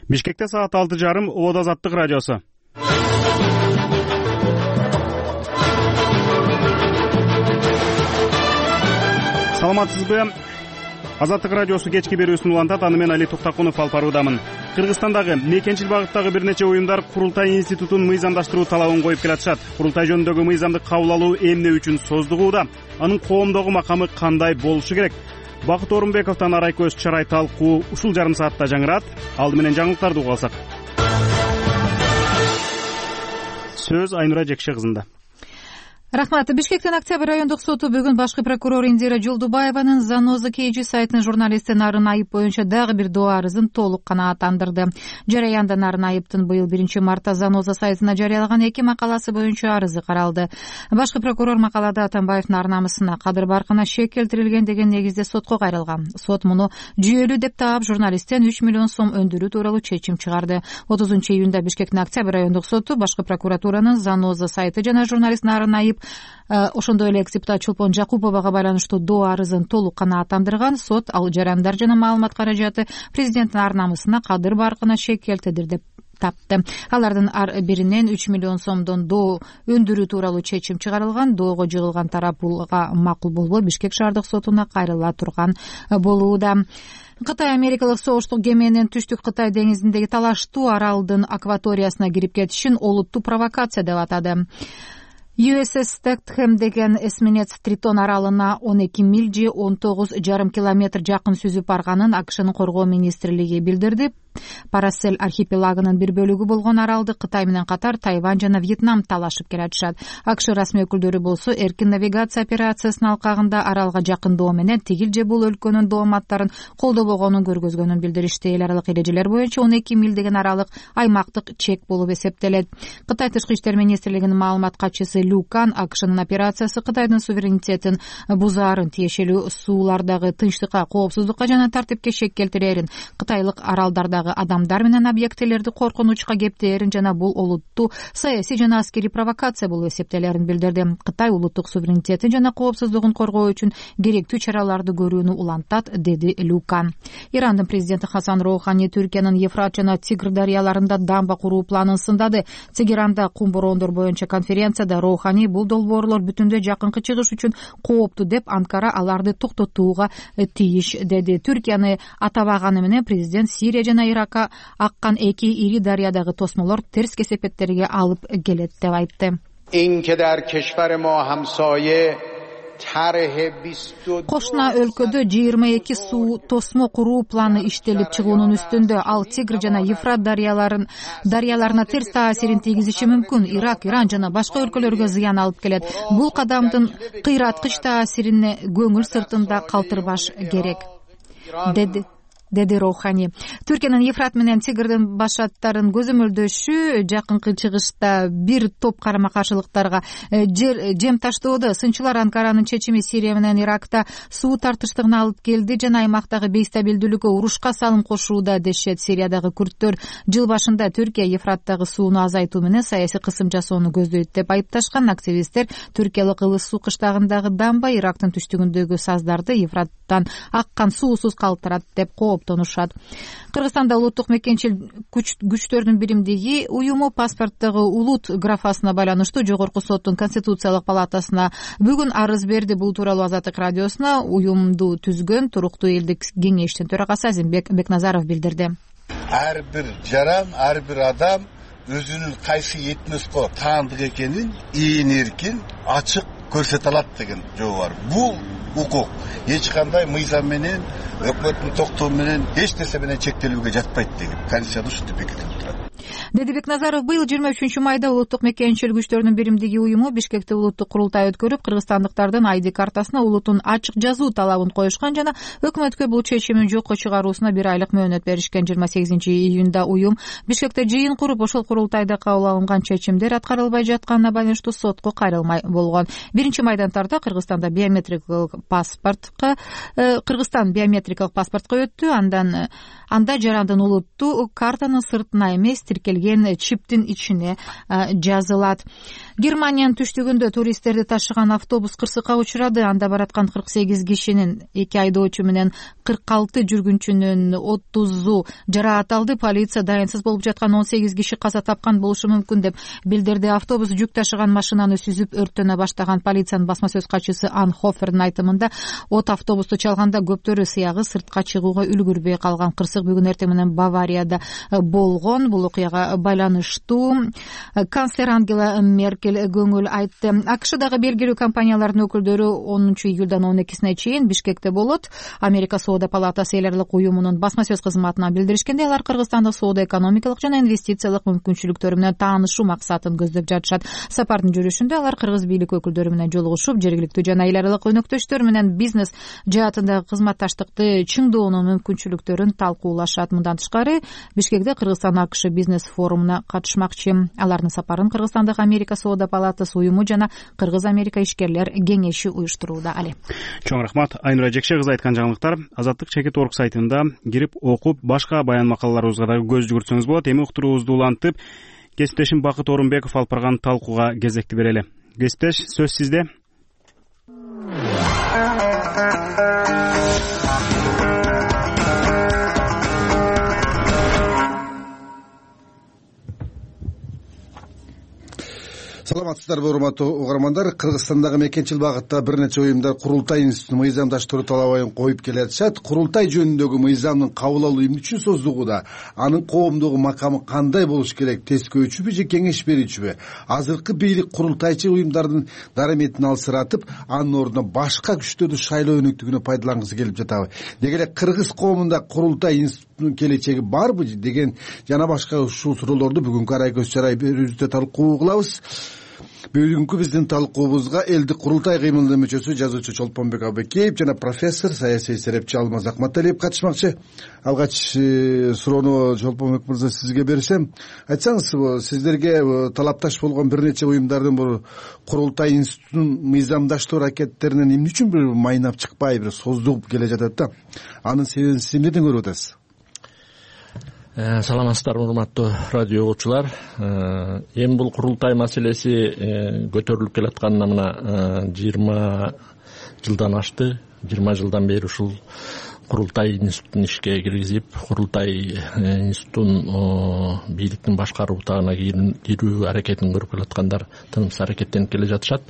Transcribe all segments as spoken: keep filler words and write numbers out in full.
Бишкекте саат алты жарым. Улут Азаттык радиосу. Саламатсызбы? Азаттык радиосу кечки берүүсүн улантат. Аны мен Али Туктакунов алып баруудамын. Кыргызстандагы мекенчил багыттагы бир нече уюмдар курултай институтун мыйзамдаштыруу талабын коюп келатышат. Курултай жөнүндөгү мыйзамды кабыл алуу эмне үчүн создугууда? Анын коомдогу макамы кандай болушу керек? Бакыт Орунбековдон Арайкөз чарай талкуу ушул жарым саатта жаңырат. Алды менен жаңылыктарды угуп алсак. Сөз Айнура Жекше кызында. Рахмат. Бишкектин Октябрь райондук соту бүгүн башкы прокурор Индира Жолдубаеванын Заноза Кейджи сайтынын журналисти Нарын Айып боюнча дагы бир доо арызын толук канааттандырды. Жараянда Нарын Айыптын быйыл биринчи мартта Заноза сайтына жарыялаган эки макаласы боюнча арызы каралды. Башкы прокурор макалада Атамбаевдин ар намысына, кадыр баркына шек келтирилген деген негизде сотко кайрылган. Сот муну жүйөлүү деп таап, журналисттен үч миллион сом өндүрүү тууралуу чечим чыгарды. отузунчу июнда Бишкектин Октябрь райондук соту башкы прокуратуранын Заноза сайты жана журналист Нарын Айып, ошондой эле экс-депутат Чолпон Жакуповага байланыштуу доо арызын толук канааттандырган. Сот ал жарандар жана маалымат каражаты президенттин ар намысына, кадыр баркына шек келтирди деп тапты. Алардын ар биринен үч миллион сомдон доо өндүрүү тууралуу чечим чыгарылган. Доого жыгылган тарап булга макул болбой Бишкек шаардык сотуна кайрыла турган болууда. Кытай америкалык согуштук кеменин Түштүк Кытай деңизиндеги талаштуу аралдын акваториясына кирип кетишин олуттуу провокация деп атады. ю эс эс Стэтхэм деген эсминец Тритон аралына он эки миль же он тогуз жарым километр жакын сүзүп барганын АКШнын коргоо министрлиги билдирди. Парасель архипелагынын бир бөлүгү болгон аралды Кытай менен катар Тайвань жана Вьетнам талашып келатышат. АКШ расмий өкүлдөрү болсо эркин навигация операциясынын алкагында аралга жакындоо менен тигил же бул өлкөнүн дооматтарын колдобогонун көргөзгөнүн билдиришти. Эл аралык эрежелер боюнча он эки миль деген аралык аймактык чек болуп эсептелет. Кытай тышкы иштер министрлигинин маалымат катчысы Лю Кан АКШнын операциясы Кытайдын суверенитетин бузаарын, тиешелүү суулардагы тынчтыкка, коопсуздукка жана тартипке шек келтирерин, кытайлык аралдардагы адамдар менен объектилерди коркунучка кептээрин жана бул олуттуу саясий жана аскерий провокация болуп эсептелерин билдирди. Кытай улуттук суверенитетин жана коопсуздугун коргоо үчүн керектүү чараларды көрүүнү улантат, деди Люкан. Ирандын президенти Хасан Роухани Түркиянын Ефрат жана Тигр дарыяларында дамба куруу планын сындады. Тегеранда кум бороондор боюнча конференцияда Роухани бул долбоорлор бүтүндөй жакынкы чыгыш үчүн кооптуу деп, Анкара аларды токтотууга тийиш деди. Түркияны атабаганы менен президент Сирия жана Иракка аккан эки ири дарыядагы тосмолор терс кесепеттерге алып келет деп айтты. Кошуна өлкөдө жыйырма эки суу тосмо куруу планы иштелип чыгуунун үстүндө. Ал Тигр жана Ефрат дарыяларын дарыяларына терс таасирин тийгизиши мүмкүн. Ирак, Иран жана башка өлкөлөргө зыян алып келет. Бул кадамдын кыйраткыч таасирине көңүл сыртында калтырбаш керек, деди. деди Роухани. Түркиянын Ефрат менен Тигрдин башаттарын көзөмөлдөшү жакынкы чыгышта бир топ карама-каршылыктарга жем таштоодо. Сынчылар Анкаранын чечими Сирия менен Иракта суу тартыштыгына алып келди жана аймактагы бейстабилдүүлүккө, урушка салым кошууда дешет. Сириядагы күрттөр жыл башында Түркия Ефраттагы сууну азайтуу менен саясий кысым жасоону көздөйт деп айыпташкан. Активисттер Түркиялык Ылыс суу кыштагындагы дамба Ирактын түштүгүндөгү саздарды Ефраттан аккан суусуз калтырат деп тонушат. Кыргызстанда улуттук мекенчил күчтөрдүн биримдиги уюму паспорттогу улут графасына байланыштуу жогорку соттун конституциялык палатасына бүгүн арыз берди. Бул тууралуу Азаттык радиосуна уюмду түзгөн туруктуу элдик кеңештин төрагасы Азимбек Бекназаров билдирди. Ар бир жаран, ар бир адам өзүнүн кайсы этноско таандык экенин ийин эркин ачык көрсөтө алат деген жобо бар. Бул укук эч кандай мыйзам менен, өкмөттүн токтоо менен, эч нерсе менен чектелүүгө жатпайт деген конституцияда ушинтип бекитилип турат. Деди Бекназаров быйыл жыйырма үчүнчү майда улуттук мекенчил күчтөрдүн биримдиги уюму Бишкекте улуттук курултай өткөрүп, кыргызстандыктардын айди картасына улутун ачык жазуу талабын коюшкан жана өкмөткө бул чечимин жокко чыгаруусуна бир айлык мөөнөт беришкен. жыйырма сегизинчи июнда уюм Бишкекте жыйын куруп, ошол курултайда кабыл алынган чечимдер аткарылбай жатканына байланыштуу сотко кайрылмай болгон. Биринчи майдан тарта Кыргызстанда биометрикалык паспортко Кыргызстан биометрикалык паспортко өттү. Андан анда жарандын улуттуу картанын сыртына эмес, тиркелген чиптин ичине жазылат. Германиянын түштүгүндө туристтерди ташыган автобус кырсыкка учурады. Анда бараткан кырк сегиз кишинин эки айдоочу менен кырк алты жүргүнчүнүн отузу жараат алды. Полиция дайынсыз болуп жаткан он сегиз киши каза тапкан болушу мүмкүн деп билдирди. Автобус жүк ташыган машинаны сүзүп өрттөнө баштаган. Полициянын басма сөз катчысы Ан Хофердин айтымында от автобусту чалганда көптөрү сыягы сыртка чыгууга үлгүрбөй калган. Кырсык бүгүн эртең менен Баварияда болгон. Бул окуяга байланыштуу канцлер Ангела Меркель көңүл айтты. АКШдагы белгилүү компаниялардын өкүлдөрү онунчу июлдан он экисине чейин Бишкекте болот. Америка Соода палатасы эл аралык уюмунун басма сөз кызматына билдиришкенде, алар Кыргызстандын соода экономикалык жана инвестициялык мүмкүнчүлүктөрү менен таанышуу максатын көздөп жатышат. Сапардын жүрүшүндө алар кыргыз бийлик өкүлдөрү менен жолугушуп, жергиликтүү жана эл аралык өнөктөштөр менен бизнес жаатындагы кызматташтыкты чыңдоонун мүмкүнчүлүктөрүн талкуулашат. Мындан тышкары Бишкекте Кыргызстан АКШ бизнес форумуна катышмакчы. Алардын сапарын Кыргызстандагы Америка Соода палатасы уюму жана Кыргыз-Америка ишкерлер кеңеши уюштурууда. Али. Чоң рахмат. Айнура Жекше кызы айткан жаңылыктар Азаттык чекит орг сайтында кирип окуп, башка баян макалаларыбызга дагы көз жүгүртсөңүз болот. Эми уктуруубузду улантып, кесиптешим Бакыт Орунбеков алып барган талкууга кезекти берели. Кесиптеш, сөз сизде. Саламатсыздарбы, урматтуу угармандар. Кыргызстандагы мекенчил багытта бир нече уюмдар курултай институтун мыйзамдаштыруу талабын коюп келатышат. Курултай жөнүндөгү мыйзамдын кабыл алуу эмне үчүн создугуда, анын коомдогу макамы кандай болуш керек, тескөөчүбү же кеңеш берүүчүбү? Азыркы бийлик курултайчы уюмдардын дараметин алсыратып, анын ордуна башка күчтөрдү шайлоо өнүктүгүнө пайдалангысы келип жатабы? Деги эле кыргыз коомунда курултай институтунун келечеги барбы деген жана башка ушул суроолорду бүгүнкү арай көз чарай берүүбүздө талкуу кылабыз. Бүгүнкү биздин талкуубузга элдик курултай кыймылынын мүчөсү жазуучу Чолпонбек Абыкеев жана профессор, саясий серепчи Алмаз Акматалиев катышмакчы. Алгач суроону Чолпонбек мырза сизге берсем, айтсаңыз, сиздерге талапташ болгон бир нече уюмдардын бул курултай институтунун мыйзамдаштыруу аракеттеринен эмне үчүн бир майнап чыкпай, бир создугуп келе жатат да? Анын себебин сиз эмнеден көрүп атасыз? Саламатсыздарбы, урматтуу радио угуучулар. Эми бул курултай маселеси көтөрүлүп келатканына мына жыйырма жылдан ашты. жыйырма жылдан бери ушул курултай институтун ишке киргизип, курултай институтун бийликтин башкаруу утагына кирүү аракетин көрүп келаткандар тынымсыз аракеттенип келе жатышат.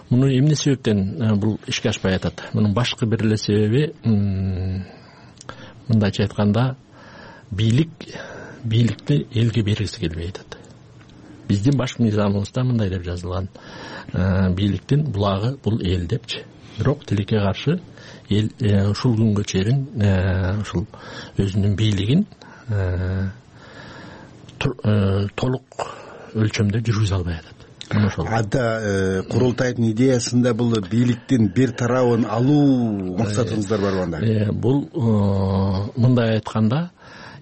Муну эмне себептен бул ишке ашпай атат? Мунун башкы бир эле себеби, мындайча айтканда, бийлик бийликти элге бергиси келбей атат. Биздин баш мыйзамыбызда мындай деп жазылган: бийликтин булагы бул эл депчи. Бирок тилекке каршы эл ушул күнгө чейин ушул өзүнүн бийлигин толук өлчөмдө жүргүзө албай атат. Ада курултайдын идеясында бул бийликтин бир тарабын алуу максатыңыздар барбы анда? Бул мындай айтканда,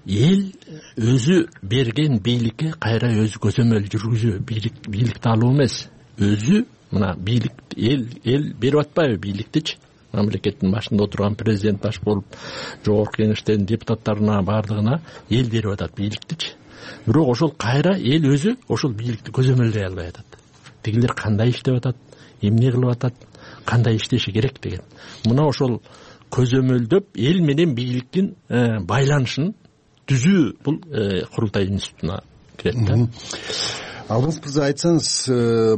эл өзү берген бийликке кайра өзү көзөмөл жүргүзүү, бийлик бийликти алуу эмес, өзү мына бийлик эл эл берип атпайбы бийликтичи? Мамлекеттин башында отурган президент баш болуп, жогорку кеңештин депутаттарына бардыгына эл берип атат бийликтичи. Бирок ошол кайра эл өзү ошол бийликти көзөмөлдөй албай атат. Тигилер кандай иштеп атат, эмне кылып атат, кандай иштеши керек деген. Мына ошол көзөмөлдөп эл менен бийликтин байланышын түзүү бул курултай институтуна кирет да. Алмаз мырза, айтсаңыз,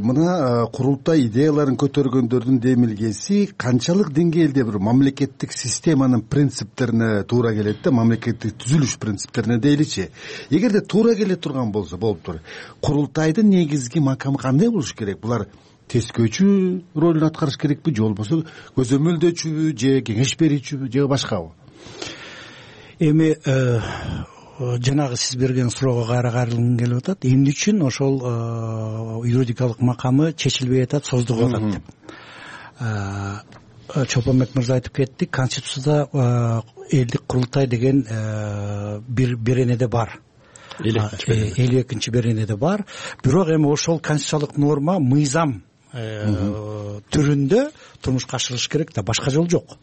мына курултай идеяларын көтөргөндөрдүн демилгеси канчалык деңгээлде бир мамлекеттик системанын принциптерине туура келет да, мамлекеттик түзүлүш принциптерине дейличи. Эгерде туура келе турган болсо, болуптур. Курултайдын негизги макамы кандай болуш керек? Булар тескөөчү ролун аткарыш керекпи, же болбосо көзөмөлдөөчүбү, же кеңеш берүүчүбү, же башкабы? Эми жанагы сиз берген суроого кайра кайрылгым келип атат. Эмне үчүн ошол юридикалык макамы чечилбей атат, создугуп атат деп. Чолпонбек мырза айтып кетти, Конституцияда элдик курултай деген бир беренеде бар. элүү экинчи беренеде бар. Бирок эми ошол конституциялык норма мыйзам түрүндө турмушка ашырылыш керек да, башка жол жок.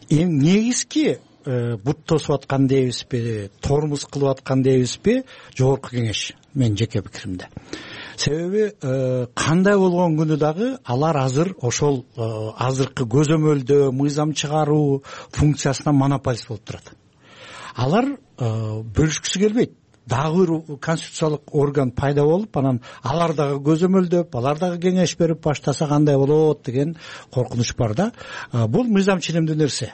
Эми негизги бут тосуп аткан дейбизби, тормуз кылып аткан дейбизби, жогорку кеңеш, менин жеке пикиримде. Себеби кандай болгон күнү дагы алар азыр ошол азыркы көзөмөлдөө, мыйзам чыгаруу функциясына монополист болуп турат. Алар бөлүшкүсү келбейт. Дагы бир конституциялык орган пайда болуп, анан алар дагы көзөмөлдөп, алар дагы кеңеш берип баштаса кандай болот деген коркунуч бар да. Бул мыйзам ченемдүү нерсе.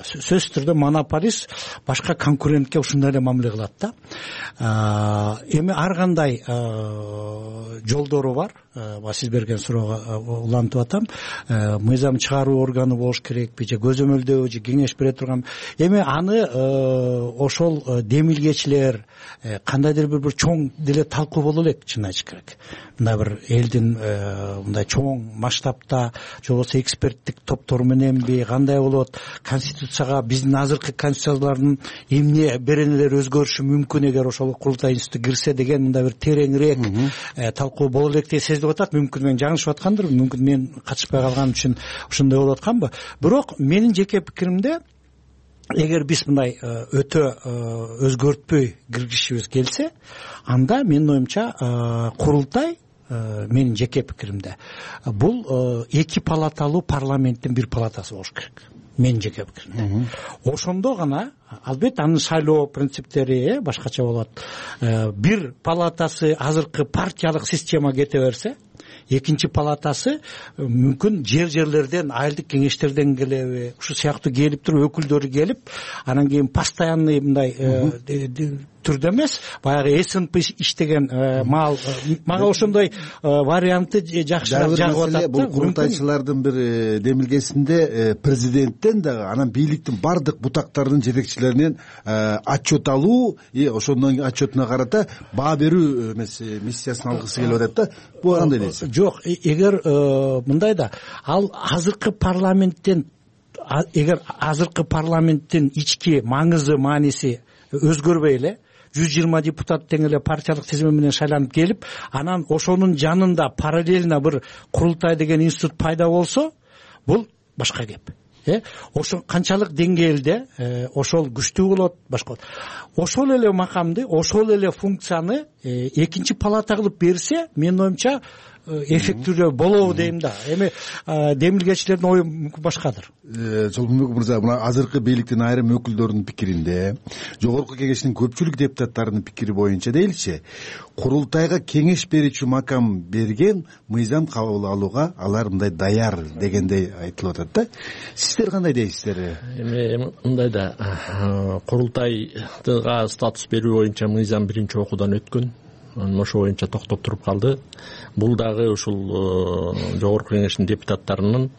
Сөзсүз түрдө монополист башка конкурентке ушундай эле мамиле кылат да. Эми ар кандай жолдору бар. Сиз берген суроого улантып атам. Мыйзам чыгаруу органы болуш керекпи, же көзөмөлдөө, же кеңеш бере турган. Эми аны ошол демилгечилер кандайдыр бир бир чоң деле талкуу боло элек, чын айтыш керек. Мындай бир элдин мындай чоң масштабта, же болбосо эксперттик топтор мененби, кандай болот, конституцияга, биздин азыркы конституциялардын эмне беренелери өзгөрүшү мүмкүн эгер ошол курултай институту кирсе деген мындай бир тереңирээк талкуу боло элек деп сезилип атат. Мүмкүн мен жаңылышып аткандырмын, мүмкүн мен катышпай калганым үчүн ошондой болуп атканбы. Бирок менин жеке пикиримде, эгер биз мындай өтө өзгөртпөй киргизишибиз келсе, анда менин оюмча курултай, менин жеке пикиримде, бул эки палаталуу парламенттин бир палатасы болуш керек. Менин жеке пикиримде. Ошондо гана, албетте анын шайлоо принциптери башкача болот. Бир палатасы азыркы партиялык система кете берсе, экинчи палатасы мүмкүн жер-жерлерден, айылдык кеңештерден келеби, ушу сыяктуу келип туруп, өкүлдөрү келип, анан кийин постоянный мындай түрдө эмес, баягы эс эн пи иштеген маал, мага ошондой вариантты жакшыраак жагып атат. Бул курултайчылардын бир демилгесинде президенттен дагы, анан бийликтин бардык бутактарынын жетекчилеринен отчет алуу, и ошондон отчетуна карата баа берүү эмес миссиясын алгысы келип атат да. Бул кандай дейсиз? Жок, эгер мындай да, ал азыркы парламенттен, эгер азыркы парламенттин ички маңызы, мааниси өзгөрбөй эле, жүз жыйырма депутат тең эле партиялык тизме менен шайланып келип, анан ошонун жанында параллельно бир курултай деген институт пайда болсо, бул башка кеп. Ошо канчалык деңгээлде ошол күчтүү болот, башка болот. Ошол эле макамды, ошол эле функцияны экинчи палата кылып берсе, менин оюмча эффектүүлүү болобу дейм да. Эми демилгечилердин ою мүмкүн башкадыр. Жолбонбек мырза, мына азыркы бийликтин айрым өкүлдөрүнүн пикиринде, жогорку кеңештин көпчүлүк депутаттарынын пикири боюнча дейли, курултайга кеңеш берүүчү макам берген, мыйзам кабыл алууга алар мындай даяр дегендей айтылып атат да. Сиздер кандай дейсиздер? Эми мындай да, курултайга статус берүү боюнча мыйзам биринчи окуудан өткөн. Ошо боюнча токтоп туруп калды. Бул дагы ушул жогорку кеңештин депутаттарынын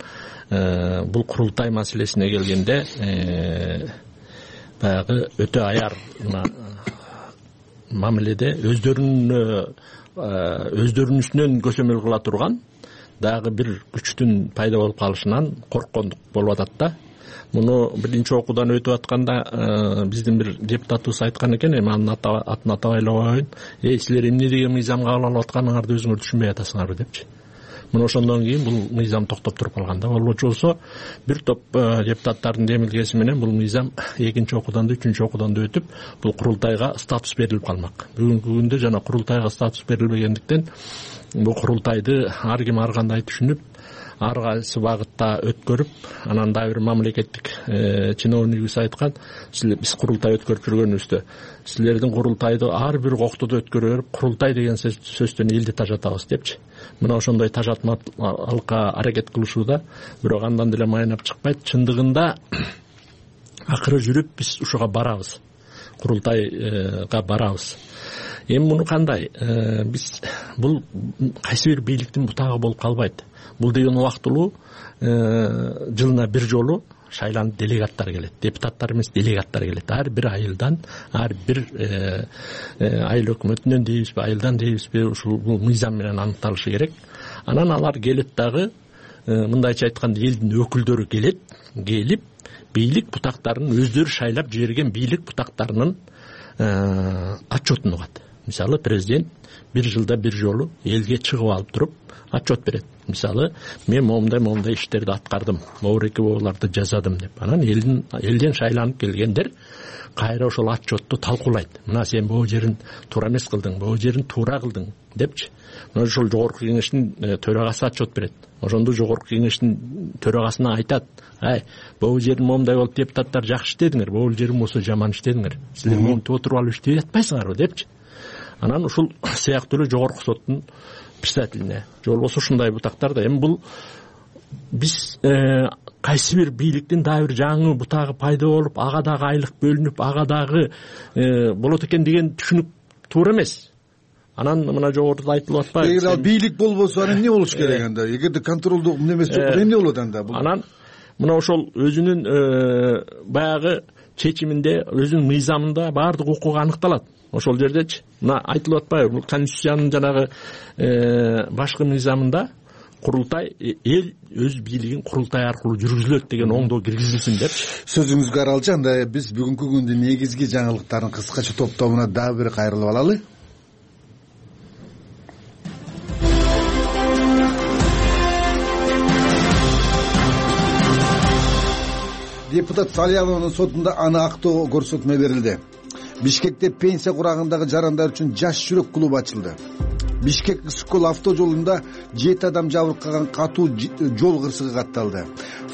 бул курултай маселесине келгенде баягы өтө аяр мамиледе өздөрүнүн өздөрүнүн үстүнөн көзөмөл кыла турган дагы бир күчтүн пайда болуп калышынан корккондук болуп атат да. Муну биринчи окуудан өтүп атканда биздин бир депутатыбыз айткан экен, эми анын атын атап айламайын. Эй, силер эмне деген мыйзам кабыл алып атканыңарды өзүңөр түшүнбөй атасыңарбы депчи. Мына ошондон кийин бул мыйзам токтоп туруп калган да. Болбочу болсо, бир топ депутаттардын демилгеси менен бул мыйзам экинчи окуудан да, үчүнчү окуудан да өтүп, бул курултайга статус берилип калмак. Бүгүнкү күндө жана курултайга статус берилбегендиктен бул курултайды ар ким ар кандай түшүнүп, ар кайсы багытта өткөрүп, анан дагы бир мамлекеттик чиновнигибиз айткан, силер биз курултай өткөрүп жүргөнүбүздө, силердин курултайды ар бир коктодо өткөрө берип, курултай деген сөздөн элди тажатабыз депчи. Мына ошондой тажатмалыкка аракет кылышууда, бирок андан деле майнап чыкпайт. Чындыгында акыры жүрүп биз ушуга барабыз. Курултайга барабыз. Эми муну кандай? Биз бул кайсы бир бийликтин бутагы болуп калбайт. Бул деген убактылуу жылына бир жолу шайланып делегаттар келет. Депутаттар эмес, делегаттар келет. Ар бир айылдан, ар бир айыл өкмөтүнөн дейбизби, айылдан дейбизби, ушул бул мыйзам менен аныкталышы керек. Анан алар келет дагы, мындайча айтканда, элдин өкүлдөрү келет, келип бийлик бутактарын өздөрү шайлап жиберген бийлик бутактарынын отчетун угат. мисалы президент бир жылда бир жолу элге чыгып алып туруп отчет берет. Мисалы мен момундай момундай иштерди аткардым, могуреки боларды жасадым деп. Анан элдин элден шайланып келгендер кайра ошол отчетту талкуулайт. Мына сен бул жерин туура эмес кылдың, бул жерин туура кылдың депчи. Мына ошол жогорку кеңештин төрагасы отчет берет. Ошондо жогорку кеңештин төрагасына айтат: ай, бул жерин момундай болуп депутаттар жакшы иштедиңер, бул жерин болсо жаман иштедиңер. Силер монтип отуруп алып иштей атпайсыңарбы депчи. Анан ушул сыяктуу эле жогорку соттун председателине же болбосо ушундай бутактар да. Эми бул биз кайсы бир бийликтин дагы бир жаңы бутагы пайда болуп, ага дагы айлык бөлүнүп, ага дагы болот экен деген түшүнүк туура эмес. Анан мына жогоруда айтылып атпайбы? Эгер ал бийлик болбосо анан эмне болуш керек анда? Эгерде контролдук эмес жок, эмне болот анда? Анан мына ошол өзүнүн баягы чечиминде, өзүнүн мыйзамында баардык укугу аныкталат. Ошол жердечи мына айтылып атпайбы? Бул конституциянын жанагы башкы мыйзамында курултай эл өз бийлигин курултай аркылуу жүргүзүлөт деген оңдоо киргизилсин депчи. Сөзүңүзгө аралчы. Анда биз бүгүнкү күндүн негизги жаңылыктарын кыскача топтомуна дагы бир кайрылып алалы. Депутат Салиянованын сотунда аны актоо көрсөтмө берилди. Бишкекте пенсия курагындагы жарандар үчүн жаш жүрөк клубу ачылды. Бишкек Скол автожолунда жети адам жабыркаган катуу жол кырсыгы катталды.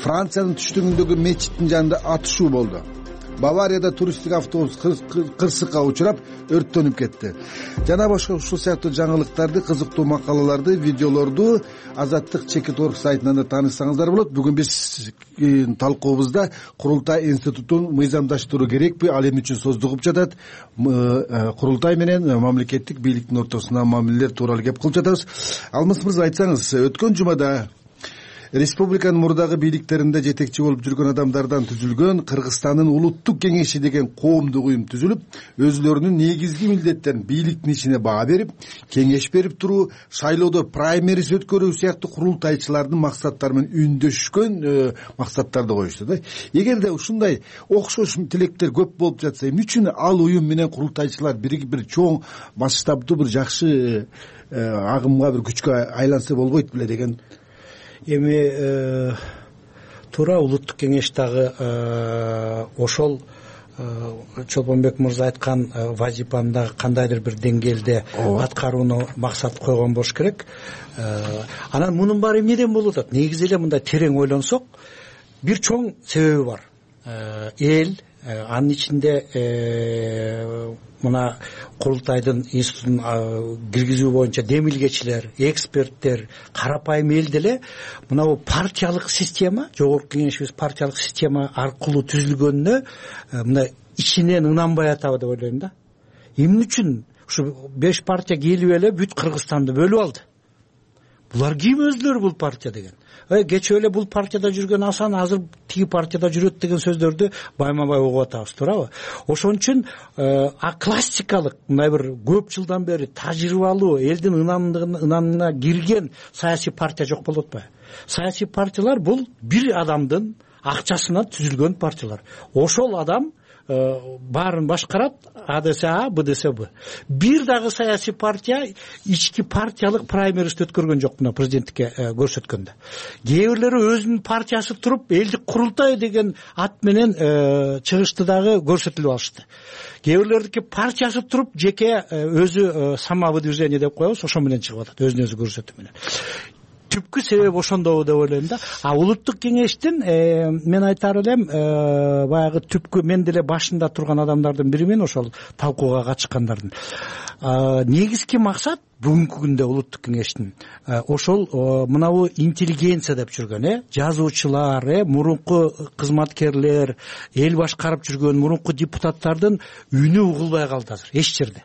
Франциянын түштүгүндөгү мечиттин жанында атышуу болду. Баварияда туристтик автобус кырсыкка учурап өрттөнүп кетти. Жана башка ушул сыяктуу жаңылыктарды, кызыктуу макалаларды, видеолорду Азаттык чекит точка орг сайтынан да таанышсаңыздар болот. Бүгүн биз талкуубузда Курултай институтун мыйзамдаштыруу керекпи, ал эмне үчүн создугуп жатат, курултай менен мамлекеттик бийликтин ортосундагы мамилелер тууралуу кеп кылып жатабыз. Алмаз мырза, айтсаңыз, өткөн жумада республиканын мурдагы бийликтеринде жетекчи болуп жүргөн адамдардан түзүлгөн Кыргызстандын улуттук кеңеши деген коомдук уюм түзүлүп, өзүлөрүнүн негизги милдеттерин бийликтин ишине баа берип, кеңеш берип туруу, шайлоодо праймериз өткөрүү сыяктуу курултайчылардын максаттары менен үндөшкөн максаттарды коюшту да. Эгерде ушундай окшош тилектер көп болуп жатса, эмне үчүн ал уюм менен курултайчылар биригип бир чоң масштабдуу бир жакшы агымга, бир күчкө айланса болбойт беле деген. Эми туура улуттук кеңеш дагы ошол Чолпонбек мырза айткан вазипаны дагы кандайдыр бир деңгээлде аткарууну максат койгон болуш керек. Анан мунун баары эмнеден болуп атат? Негизи эле мындай терең ойлонсок, бир чоң себеби бар. Эл, анын ичинде мына курултайдын институтун киргизүү боюнча демилгечилер, эксперттер, карапайым эл деле мына бул партиялык система, жогорку кеңешибиз партиялык система аркылуу түзүлгөнүнө мына ичинен ынанбай атабы деп ойлойм да. Эмне үчүн ушу беш партия келип эле бүт Кыргызстанды бөлүп алды? Булар ким өзлөрү бул партия деген? Э кечээ эле бул партияда жүргөн Асан азыр тиги партияда жүрөт деген сөздөрдү байма-бай угуп атабыз, туурабы? Ошон үчүн а классикалык мындай бир көп жылдан бери тажрыйбалуу элдин ынанына кирген саясий партия жок болуп атпайбы? Саясий партиялар бул бир адамдын акчасынан түзүлгөн партиялар. Ошол адам баарын башкарат, А десе А, Б десе Б. Бир дагы саясий партия ички партиялык праймериз өткөргөн жок мына президенттикке көрсөткөндө. Кээ бирлери өзүнүн партиясы туруп, элдик курултай деген ат менен чыгышты дагы көрсөтүлүп алышты. Кээ бирлердики партиясы туруп, жеке өзү самовыдвижение деп коебуз, ошо менен чыгып атат, өзүн өзү көрсөтүү менен. Түпкү себеби ошондобу деп ойлойм да. А улуттук кеңештин мен айтар элем, баягы түпкү мен деле башында турган адамдардын бири мен, ошол талкууга катышкандардын. Негизги максат бүгүнкү күндө улуттук кеңештин ошол мынабу интеллигенция деп жүргөн, э, жазуучулар, э, мурунку кызматкерлер, эл башкарып жүргөн мурунку депутаттардын үнү угулбай калды азыр эч жерде.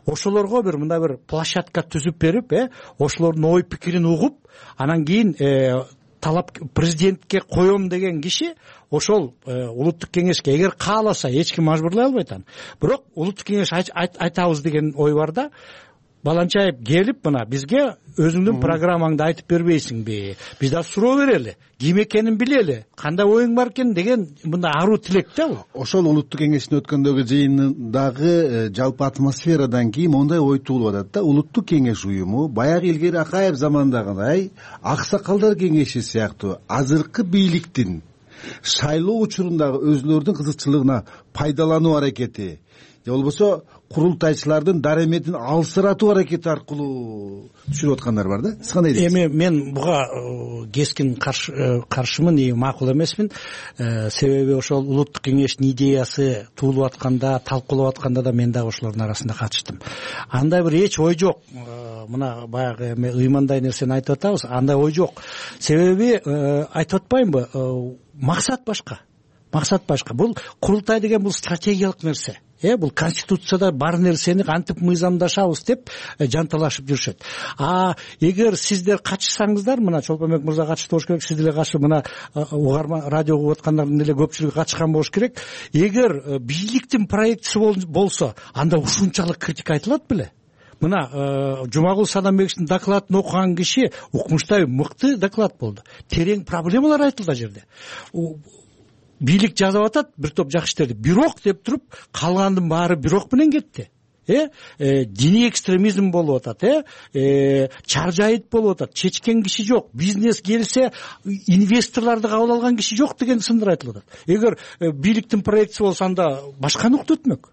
Ошолорго бир мындай бир площадка түзүп берип, э, ошолордун ой пикирин угуп, анан кийин талап президентке коем деген киши ошол улуттук кеңешке эгер кааласа эч ким мажбурлай албайт аны. Бирок улуттук кеңеш айтабыз деген ой бар да. Баланчаев келип мына бизге өзүңдүн программаңды айтып бербейсиңби, биз да суроо берели, ким экенин билели, кандай оюң бар экен деген мындай аруу тилек да бул. Ошол улуттук кеңештин өткөндөгү жыйынындагы жалпы атмосферадан кийин мондай ой туулуп атат да. Улуттук кеңеш уюму баягы илгери Акаев замандагыдай аксакалдар кеңеши сыяктуу азыркы бийликтин шайлоо учурундагы өзүлөрүнүн кызыкчылыгына пайдалануу аракети же болбосо курултайчылардын дараметин алсыратуу аракети аркылуу түшүрүп аткандар бар да. Сиз кандай дейсиз? Эми мен буга кескин каршымын, и макул эмесмин. Себеби ошол улуттук кеңештин идеясы туулуп атканда, талкуулап атканда да мен дагы ошолордун арасында катыштым. Андай бир эч ой жок. Мына баягы эми ыймандай нерсени айтып атабыз, андай ой жок. Себеби айтып атпаймынбы, максат башка. Максат башка. Бул курултай деген бул стратегиялык нерсе. Э, бул конституцияда бар нерсени кантип мыйзамдашабыз деп жанталашып жүрүшөт. А эгер сиздер катышсаңыздар, мына Чолпонбек мырза катышты болуш керек, сиз деле катышып, мына угарма радио угуп аткандардын деле көпчүлүгү катышкан болуш керек. Эгер бийликтин проектиси болсо, анда ушунчалык критика айтылат беле? Мына Жумагул Садамбековичтин докладын окуган киши укмуштай мыкты доклад болду. Терең проблемалар айтылды ал жерде. Бийлик жазып атат бир топ жакшы иштерди, бирок деп туруп калгандын баары бирок менен кетти. Э, диний экстремизм болуп атат, э, чаржайыт болуп атат, чечкен киши жок, бизнес келсе инвесторлорду кабыл алган киши жок деген сындар айтылып атат. Эгер бийликтин проектиси болсо, анда башканы уктутмөк.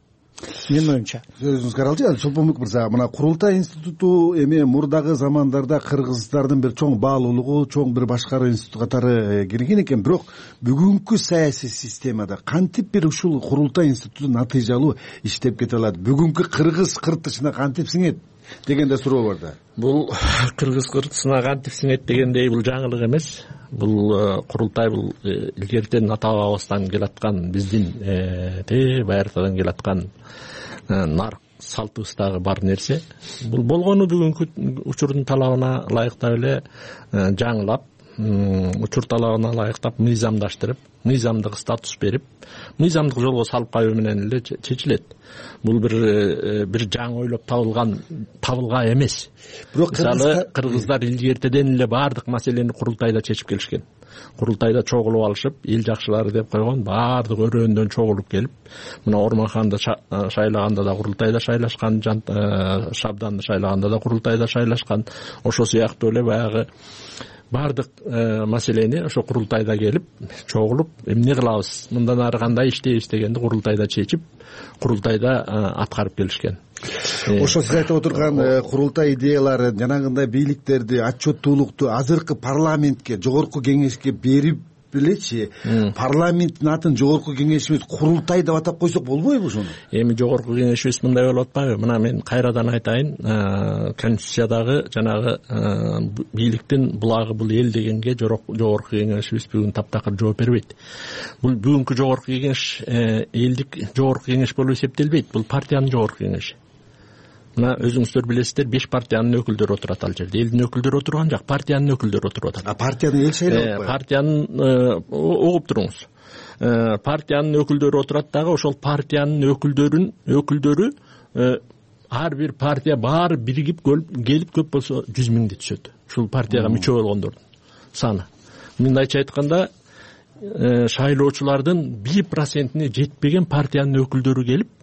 Менин оюмча. Сөзүңүз каралчы. Чолпонбек мырза, мына курултай институту эми мурдагы замандарда кыргыздардын бир чоң баалуулугу, чоң бир башкаруу институту катары кирген экен. Бирок бүгүнкү саясий системада кантип бир ушул курултай институту натыйжалуу иштеп кете алат? Бүгүнкү кыргыз кыртышына кантип сиңет деген да суроо бар да. Бул кыргыз кыртысына кантип сиңет дегендей бул жаңылык эмес. Бул курултай бул илгертен ата бабабыздан келаткан, биздин те байыртадан келаткан нарк салтыбыздагы бар нерсе. Бул болгону бүгүнкү учурдун талабына ылайыктап эле жаңылап, учур талабына ылайыктап мыйзамдаштырып, мыйзамдык статус берип, мыйзамдык жолго салып коюу менен эле чечилет. Бул бир бир жаңы ойлоп табылган табылга эмес. Бирок кыргыздар илгертеден эле баардык маселени курултайда чечип келишкен. Курултайда чогулуп алышып, эл жакшылары деп койгон баардык өрөөндөн чогулуп келип, мына Орманханды шайлаганда да курултайда шайлашкан, Шабданды шайлаганда да курултайда шайлашкан. Ошо сыяктуу эле баягы баардык маселени ошо курултайда келип чогулуп, эмне кылабыз, мындан ары кандай иштейбиз дегенди курултайда чечип, курултайда аткарып келишкен. Ошо сиз айтып отурган курултай идеялары жанагындай бийликтерди, отчеттуулукту азыркы парламентке, жогорку кеңешке берип белечи, парламенттин атын жогорку кеңешибиз курултай деп атап койсок болбойбу ошону? Эми жогорку кеңешибиз мындай болуп атпайбы? Мына мен кайрадан айтайын, конституциядагы жанагы бийликтин булагы бул эл дегенге жогорку кеңешибиз бүгүн таптакыр жооп бербейт. Бул бүгүнкү жогорку кеңеш элдик жогорку кеңеш болуп эсептелбейт. Бул партиянын жогорку кеңеши. Мына өзүңүздөр билесиздер, беш партиянын өкүлдөрү отурат ал жерде. Элдин өкүлдөрү отурган жак, партиянын өкүлдөрү отуруп атат. А партияны эл шайлап атпайбы? Партиянын угуп туруңуз. Партиянын өкүлдөрү отурат дагы, ошол партиянын өкүлдөрүн өкүлдөрү ар бир партия баары биригип келип көп болсо жүз миңди түшөт. Ушул партияга мүчө болгондордун саны. Мындайча айтканда, шайлоочулардын бир процентине жетпеген партиянын өкүлдөрү келип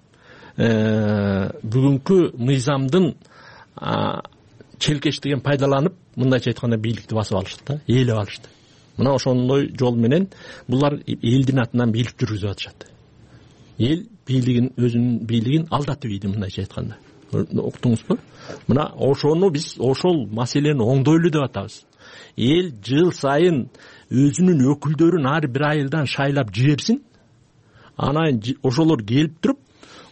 бүгүнкү мыйзамдын челкештигин пайдаланып, мындайча айтканда бийликти басып алышты да, ээлеп алышты. Мына ошондой жол менен булар элдин атынан бийлик жүргүзүп атышат. Эл бийлигин, өзүнүн бийлигин алдатып ийди, мындайча айтканда. Уктуңузбу? Мына ошону биз ошол маселени оңдойлу деп атабыз. Эл жыл сайын өзүнүн өкүлдөрүн ар бир айылдан шайлап жиберсин. Анан ошолор келип туруп,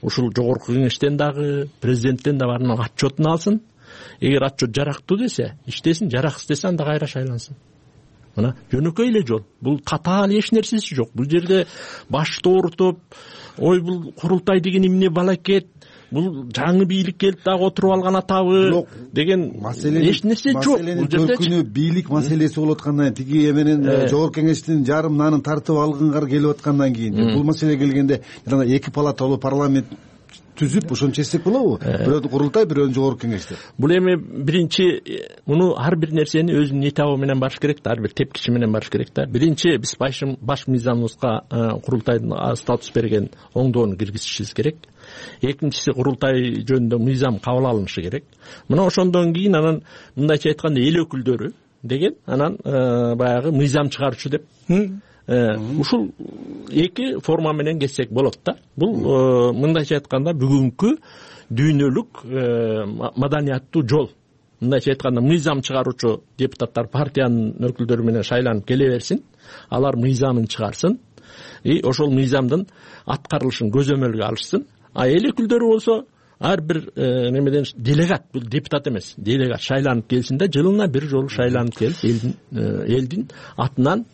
ушул жогорку кеңештен дагы, президенттен да баарынан отчетун алсын. Эгер отчет жарактуу десе, иштесин, жараксыз десе анда кайра шайлансын. Мына жөнөкөй эле жол. Бул катаал эч нерсеси жок. Бул жерде башты оорутуп, ой бул курултай деген эмне балакет, бул жаңы бийлик келип дагы отуруп алган атабы деген эч нерсе жок. Бул жерде көркүнү бийлик маселеси болуп аткандан кийин, тиги эменин жогорку кеңештин жарым нанын тартып алгынга келип аткандан кийин, бул маселе келгенде жана эки палаталуу парламент түзүп ошончо эстек болобу? Бирөө курултай, бирөө жогорку кеңеш деп. Бул эми биринчи муну ар бир нерсени өзүнүн этабы менен барыш керек да, ар бир тепкичи менен барыш керек да. Биринчи биз баш мыйзамыбызга курултайдын статус берген оңдоону киргизишибиз керек. Экинчиси, курултай жөнүндө мыйзам кабыл алынышы керек. Мына ошондон кийин анан мындайча айтканда эл өкүлдөрү деген анан баягы мыйзам чыгаруучу деп ушул эки форма менен кетсек болот да. Бул мындайча айтканда бүгүнкү дүйнөлүк маданияттуу жол. Мындайча айтканда мыйзам чыгаруучу депутаттар партиянын өкүлдөрү менен шайланып келе берсин, алар мыйзамын чыгарсын, и ошол мыйзамдын аткарылышын көзөмөлгө алышсын. А эл өкүлдөрү болсо ар бир немеден делегат, бул депутат эмес, делегат шайланып келсин да, жылына бир жолу шайланып келип элдин элдин атынан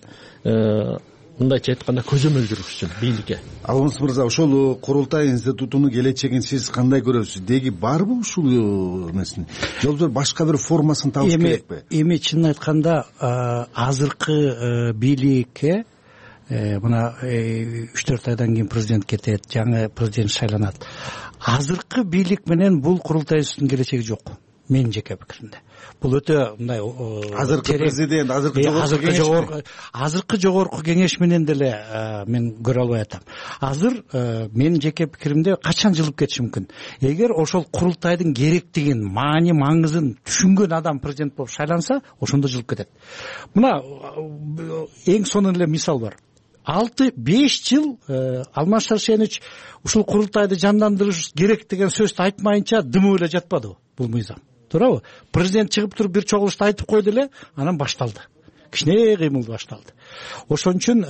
мындайча айтканда көзөмөл жүргүзсүн бийликке. Алмаз мырза, ошол курултай институтунун келечегин сиз кандай көрөсүз? Деги барбы ушул эмесин? Жолдо башка бир формасын табыш керекпи? Эми чынын айтканда азыркы бийликке мына үч төрт айдан кийин президент кетет, жаңы президент шайланат. Азыркы бийлик менен бул курултай институтунун келечеги жок, менин жеке пикиримде. Бул өтө мындай азыркы президент, азыркы жогорку азыркы жогорку кеңеш менен деле мен көрө албай атам. Азыр менин жеке пикиримде качан жылып кетиши мүмкүн. Эгер ошол курултайдын керектигин, маани маңызын түшүнгөн адам президент болуп шайланса, ошондо жылып кетет. Мына эң сонун эле мисал бар. алты беш жыл Алмаз Шаршенович ушул курултайды жандандырыш керек деген сөздү айтмайынча дымы эле жатпады бул мыйзам. Туурабы? Президент чыгып туруп бир чогулушта айтып койду эле, анан башталды. Кичине кыймыл башталды. Ошон үчүн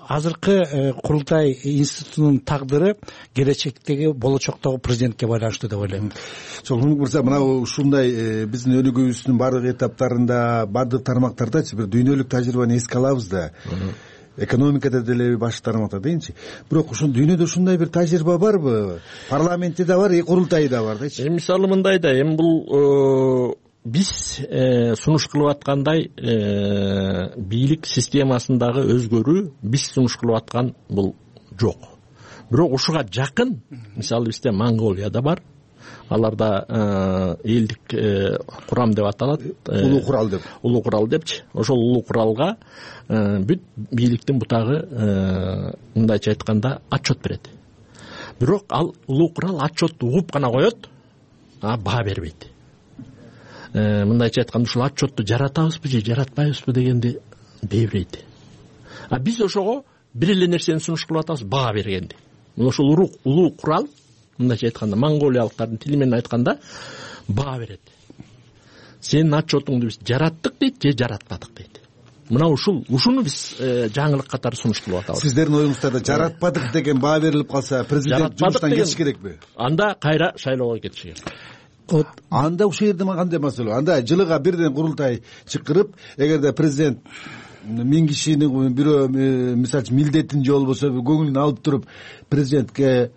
азыркы курултай институтунун тагдыры келечектеги болочоктогу президентке байланыштуу деп ойлойм. Чоңун мырза, мына ушундай биздин өнүгүүбүздүн бардык этаптарында, бардык тармактардачы бир дүйнөлүк тажрыйбаны эске алабыз да. Экономикада деле баш тармакта дейинчи. Бирок ушун дүйнөдө ушундай бир тажрыйба барбы? Парламентте да бар, курултайы да бар дечи. Эми мисалы мындай да, эми бул биз сунуш кылып аткандай бийлик системасындагы өзгөрүү биз сунуш кылып аткан бул жок. Бирок ушуга жакын, мисалы бизде Монголияда бар. Аларда элдик курам деп аталат. Улуу курал деп. Улуу курал депчи. Ошол улуу куралга бүт бийликтин бутагы мындайча айтканда отчет берет. Бирок ал улуу курал отчетту угуп гана коет, а баа бербейт. Мындайча айтканда ушул отчетту жаратабызбы же жаратпайбызбы дегенди бербейт. А биз ошого бир эле нерсени сунуш кылып атабыз, баа бергенди. Ошол улуу курал мындайча айтканда монголиялыктардын тили менен айтканда баа берет. Сенин отчетуңду биз жараттык дейт же жаратпадык дейт. Мына ушул ушуну биз жаңылык катары сунуш кылып атабыз. Сиздердин оюңузда жаратпадык деген баа берилип калса, президент жумуштан кетиш керекпи? Анда кайра шайлоого кетиш керек. Анда ушул жерде кандай маселе? Анда жылыга бирден курултай чакырып, эгерде президент миң кишинин бирөө мисалы милдетин же болбосо көңүлүн алып туруп президентке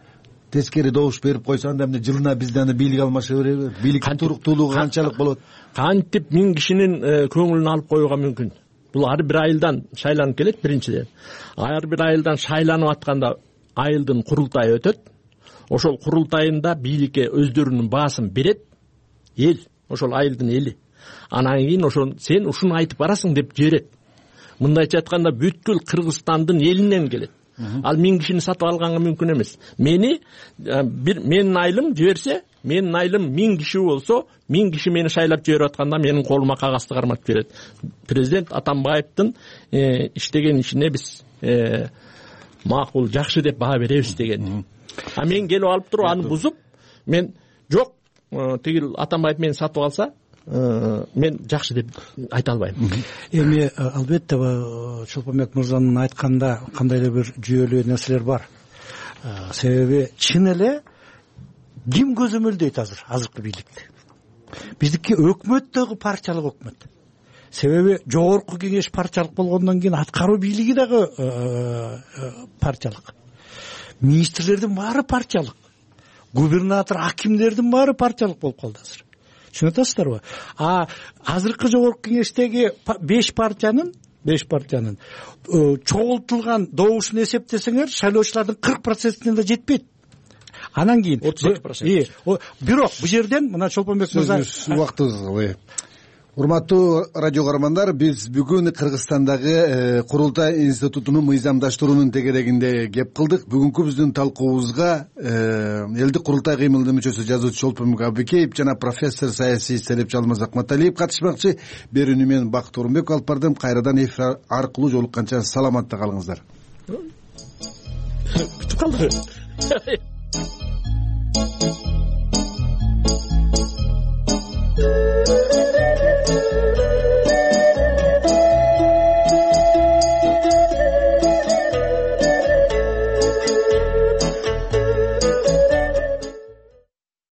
тескери добуш берип койсо, анда эмне жылына бизде аны бийлик алмаша береби? Бийликтин туруктуулугу канчалык болот? Кантип миң кишинин көңүлүн алып коюуга мүмкүн? Бул ар бир айылдан шайланып келет биринчиден. Ар бир айылдан шайланып атканда айылдын курултайы өтөт. Ошол курултайында бийликке өздөрүнүн баасын берет эл, ошол айылдын эли. Анан кийин ошон сен ушуну айтып барасың деп жиберет. Мындайча айтканда бүткүл Кыргызстандын элинен келет. Ал миң кишини сатып алганга мүмкүн эмес. Мени бир менин айылым жиберсе, менин айылым миң киши болсо, миң киши мени шайлап жиберип атканда менин колума кагазды карматып берет. Президент Атамбаевдин иштеген ишине биз макул, жакшы деп баа беребиз деген. А мен келип алып туруп аны бузуп, мен жок, тигил Атамбаев мени сатып алса, мен жакшы деп айта албайм. Эми албетте Чолпонбек мырзанын айтканда кандайдыр бир жүйөлүү нерселер бар. Себеби чын эле ким көзөмөлдөйт азыр азыркы бийликти? Биздики өкмөт дагы партиялык өкмөт. Себеби жогорку кеңеш партиялык болгондон кийин аткаруу бийлиги дагы партиялык. Министрлердин баары партиялык. Губернатор, акимдердин баары партиялык болуп калды азыр. Түшүнүп атасыздарбы? А азыркы жогорку кеңештеги беш партиянын беш партиянын чогултулган добушун эсептесеңер, шайлоочулардын кырк процентине да жетпейт. анан кийин отуз эки процент бирок бул жерден мына Чолпонбек мырза убактыбыз урматтуу радио көрөрмандар, биз бүгүн Кыргызстандагы Курултай институтунун мыйзамдаштыруунун тегерегинде кеп кылдык. Бүгүнкү биздин талкуубузга элдик курултай кыймылынын мүчөсү жазуучу Чолпонбек Абыкеев жана профессор саясий исалепчи Алмаз Акматалиев катышмакчы. Берүүнү мен Бакыт Орунбеков алып бардым. Кайрадан эфир аркылуу жолукканча саламатта калыңыздар. Күтүп калдык.